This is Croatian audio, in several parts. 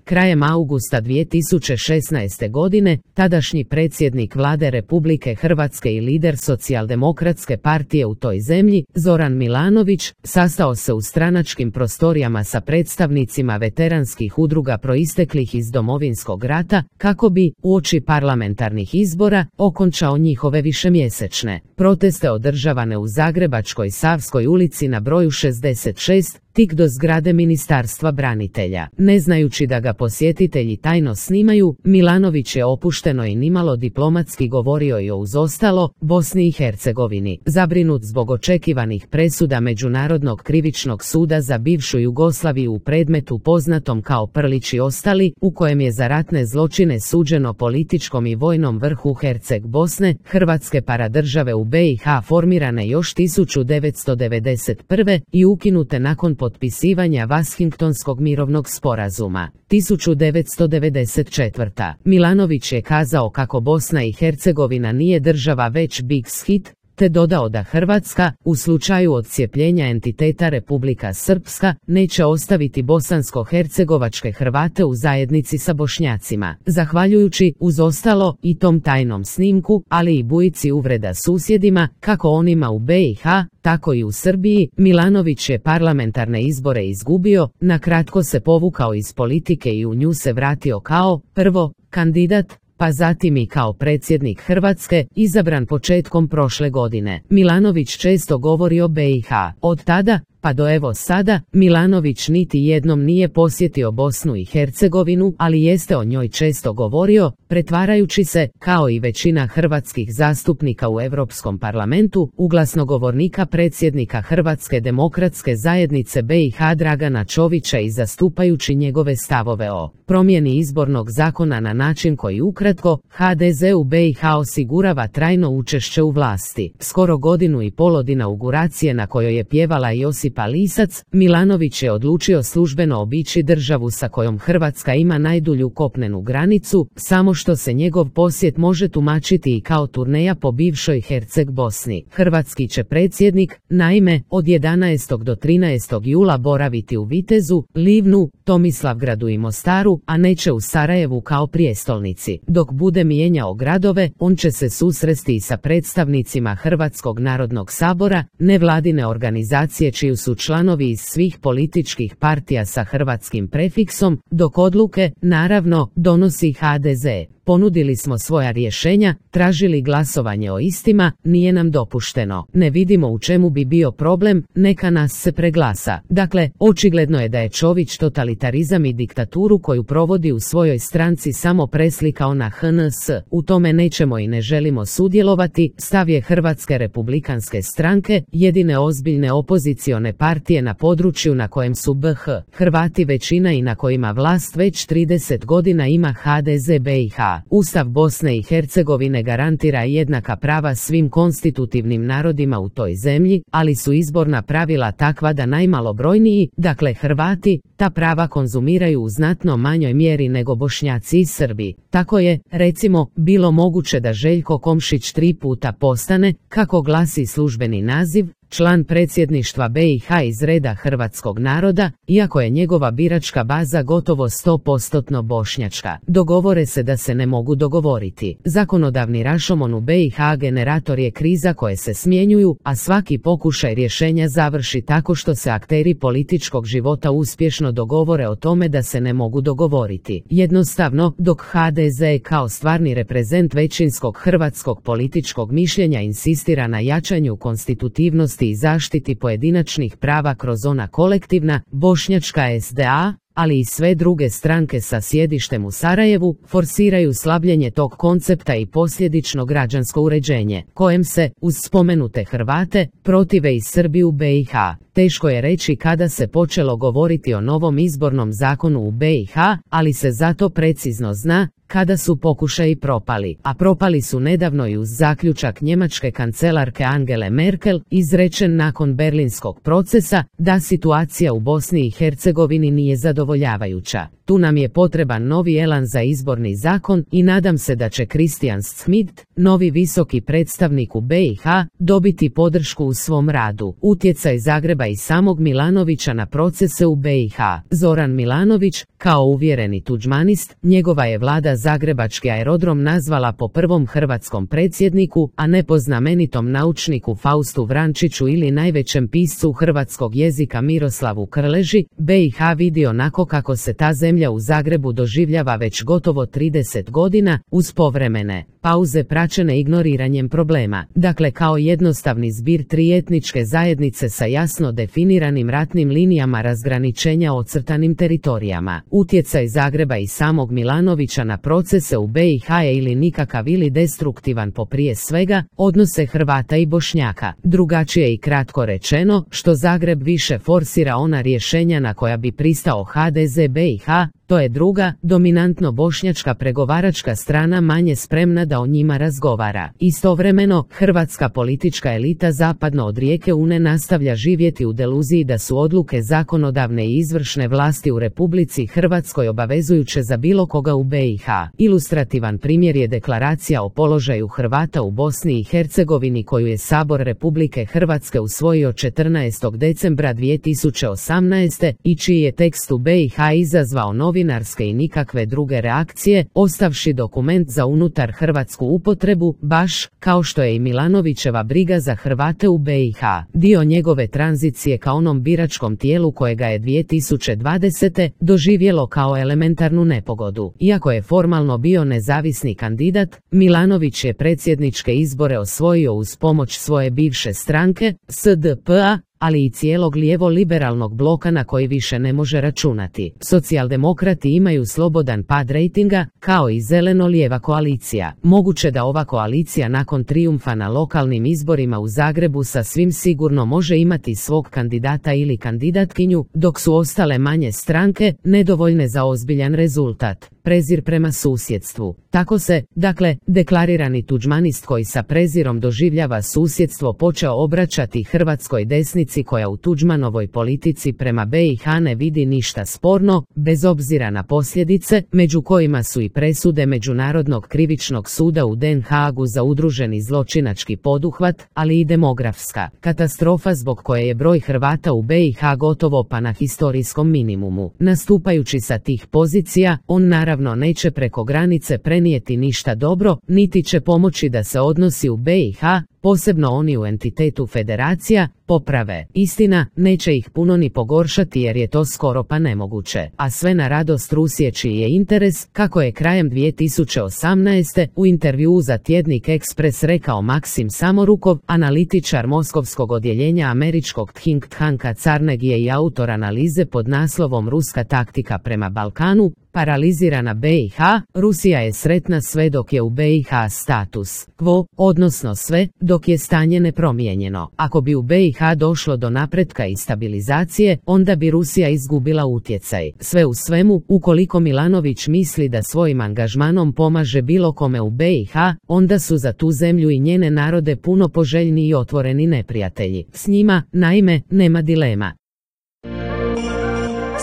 Krajem augusta 2016. godine, tadašnji predsjednik vlade Republike Hrvatske i lider Socijaldemokratske partije u toj zemlji, Zoran Milanović, sastao se u stranačkim prostorijama sa predstavnicima veteranskih udruga proisteklih iz Domovinskog rata, kako bi, uoči parlamentarnih izbora, okončao njihove višemjesečne proteste održavane u Zagrebačkoj Savskoj ulici na broju 66, tik do zgrade Ministarstva branitelja. Ne znajući da ga posjetitelji tajno snimaju, Milanović je opušteno i nimalo diplomatski govorio i o uz ostalo Bosni i Hercegovini. Zabrinut zbog očekivanih presuda Međunarodnog krivičnog suda za bivšu Jugoslaviju u predmetu poznatom kao Prlić i ostali, u kojem je za ratne zločine suđeno političkom i vojnom vrhu Herceg Bosne, Hrvatske paradržave u BiH formirane još 1991. i ukinute nakon potpisivanja Washingtonskog mirovnog sporazuma. 1994. Milanović je kazao kako Bosna i Hercegovina nije država već big hit, te dodao da Hrvatska, u slučaju odcijepljenja entiteta Republika Srpska, neće ostaviti bosansko-hercegovačke Hrvate u zajednici sa Bošnjacima. Zahvaljujući, uz ostalo, i tom tajnom snimku, ali i bujici uvreda susjedima, kako onima u BiH, tako i u Srbiji, Milanović je parlamentarne izbore izgubio, nakratko se povukao iz politike i u nju se vratio kao, prvo, kandidat, pa zatim i kao predsjednik Hrvatske, izabran početkom prošle godine. Milanović često govori o BiH. Od tada, pa do evo sada, Milanović niti jednom nije posjetio Bosnu i Hercegovinu, ali jeste o njoj često govorio, pretvarajući se, kao i većina hrvatskih zastupnika u Europskom parlamentu, u glasnogovornika predsjednika Hrvatske demokratske zajednice BiH Dragana Čovića i zastupajući njegove stavove o promjeni izbornog zakona na način koji ukratko HDZ u BiH osigurava trajno učešće u vlasti. Skoro godinu i pol od inauguracije na kojoj je pjevala Josipa Lisac, Milanović je odlučio službeno obići državu sa kojom Hrvatska ima najdulju kopnenu granicu, samo što se njegov posjet može tumačiti i kao turneja po bivšoj Herceg Bosni. Hrvatski će predsjednik, naime, od 11. do 13. jula boraviti u Vitezu, Livnu, Tomislavgradu i Mostaru, a neće u Sarajevu kao prijestolnici. Dok bude mijenjao gradove, on će se susresti i sa predstavnicima Hrvatskog narodnog sabora, nevladine organizacije čiju su članovi iz svih političkih partija sa hrvatskim prefiksom, dok odluke, naravno, donosi HDZ. Ponudili smo svoja rješenja, tražili glasovanje o istima, nije nam dopušteno. Ne vidimo u čemu bi bio problem, neka nas se preglasa. Dakle, očigledno je da je Čović totalitarizam i diktaturu koju provodi u svojoj stranci samo preslikao na HNS. U tome nećemo i ne želimo sudjelovati, stav je Hrvatske republikanske stranke, jedine ozbiljne opozicione partije na području na kojem su BiH Hrvati većina i na kojima vlast već 30 godina ima HDZ BiH. Ustav Bosne i Hercegovine garantira jednaka prava svim konstitutivnim narodima u toj zemlji, ali su izborna pravila takva da najmalobrojniji, dakle Hrvati, ta prava konzumiraju u znatno manjoj mjeri nego Bošnjaci i Srbi. Tako je, recimo, bilo moguće da Željko Komšić 3 puta postane, kako glasi službeni naziv, član predsjedništva BiH iz reda hrvatskog naroda, iako je njegova biračka baza gotovo 100% bošnjačka. Dogovore se da se ne mogu dogovoriti. Zakonodavni rašomon u BiH generator je kriza koje se smjenjuju, a svaki pokušaj rješenja završi tako što se akteri političkog života uspješno dogovore o tome da se ne mogu dogovoriti. Jednostavno, dok HDZ kao stvarni reprezent većinskog hrvatskog političkog mišljenja insistira na jačanju konstitutivnosti i zaštiti pojedinačnih prava kroz ona kolektivna, bošnjačka SDA, ali i sve druge stranke sa sjedištem u Sarajevu, forsiraju slabljenje tog koncepta i posljedično građansko uređenje, kojem se, uz spomenute Hrvate, protive i Srbi u BiH. Teško je reći kada se počelo govoriti o novom izbornom zakonu u BiH, ali se zato precizno zna kada su pokušaji propali, a propali su nedavno i uz zaključak njemačke kancelarke Angele Merkel, izrečen nakon berlinskog procesa, da situacija u Bosni i Hercegovini nije zadovoljavajuća. Tu nam je potreban novi elan za izborni zakon i nadam se da će Christian Schmidt, novi visoki predstavnik u BiH, dobiti podršku u svom radu. Utjecaj Zagreba i samog Milanovića na procese u BiH. Zoran Milanović, kao uvjereni tuđmanist, njegova je vlada zagrebački aerodrom nazvala po prvom hrvatskom predsjedniku, a ne po znamenitom naučniku Faustu Vrančiću ili najvećem piscu hrvatskog jezika Miroslavu Krleži. BiH vidi onako kako se ta zemlja u Zagrebu doživljava već gotovo 30 godina, uz povremene pauze praćene ignoriranjem problema. Dakle, kao jednostavni zbir tri etničke zajednice sa jasno definiranim ratnim linijama razgraničenja ocrtanim teritorijama. Utjecaj Zagreba i samog Milanovića na procese u BiH je ili nikakav ili destruktivan po prije svega odnose Hrvata i Bošnjaka. Drugačije i kratko rečeno, što Zagreb više forsira ona rješenja na koja bi pristao HDZ BiH, to je druga, dominantno bošnjačka pregovaračka strana manje spremna da o njima razgovara. Istovremeno, hrvatska politička elita zapadno od rijeke Une nastavlja živjeti u deluziji da su odluke zakonodavne i izvršne vlasti u Republici Hrvatskoj obavezujuće za bilo koga u BiH. Ilustrativan primjer je deklaracija o položaju Hrvata u Bosni i Hercegovini koju je Sabor Republike Hrvatske usvojio 14. decembra 2018. i čiji je tekst u BiH izazvao novinarske i nikakve druge reakcije, ostavši dokument za unutar hrvatsku upotrebu, baš kao što je i Milanovićeva briga za Hrvate u BiH. Dio njegove tranzicije ka onom biračkom tijelu kojega je 2020. doživjelo kao elementarnu nepogodu. Iako je formalno bio nezavisni kandidat, Milanović je predsjedničke izbore osvojio uz pomoć svoje bivše stranke, SDP-a, ali i cijelog lijevo-liberalnog bloka na koji više ne može računati. Socijaldemokrati imaju slobodan pad rejtinga, kao i zeleno-lijeva koalicija. Moguće da ova koalicija nakon trijumfa na lokalnim izborima u Zagrebu sasvim sigurno može imati svog kandidata ili kandidatkinju, dok su ostale manje stranke nedovoljne za ozbiljan rezultat. Prezir prema susjedstvu. Tako se, dakle, deklarirani tuđmanist koji sa prezirom doživljava susjedstvo počeo obraćati hrvatskoj desnici koja u Tuđmanovoj politici prema BiH ne vidi ništa sporno, bez obzira na posljedice, među kojima su i presude Međunarodnog krivičnog suda u Den Haagu za udruženi zločinački poduhvat, ali i demografska katastrofa zbog koje je broj Hrvata u BiH gotovo pa na historijskom minimumu. Nastupajući sa tih pozicija, on naravno neće preko granice prenijeti ništa dobro, niti će pomoći da se odnosi u BiH, posebno oni u entitetu federacija, poprave. Istina, neće ih puno ni pogoršati jer je to skoro pa nemoguće. A sve na radost Rusije čiji je interes, kako je krajem 2018. u intervjuu za tjednik Express rekao Maksim Samorukov, analitičar moskovskog odjeljenja američkog think tanka Carnegie i autor analize pod naslovom Ruska taktika prema Balkanu, paralizirana BiH, Rusija je sretna sve dok je u BiH status quo, odnosno sve dok je stanje nepromijenjeno. Ako bi u BiH došlo do napretka i stabilizacije, onda bi Rusija izgubila utjecaj. Sve u svemu, ukoliko Milanović misli da svojim angažmanom pomaže bilo kome u BiH, onda su za tu zemlju i njene narode puno poželjni i otvoreni neprijatelji. S njima, naime, nema dilema.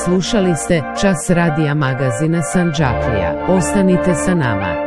Slušali ste Čas radija magazina Sandžaklija. Ostanite sa nama.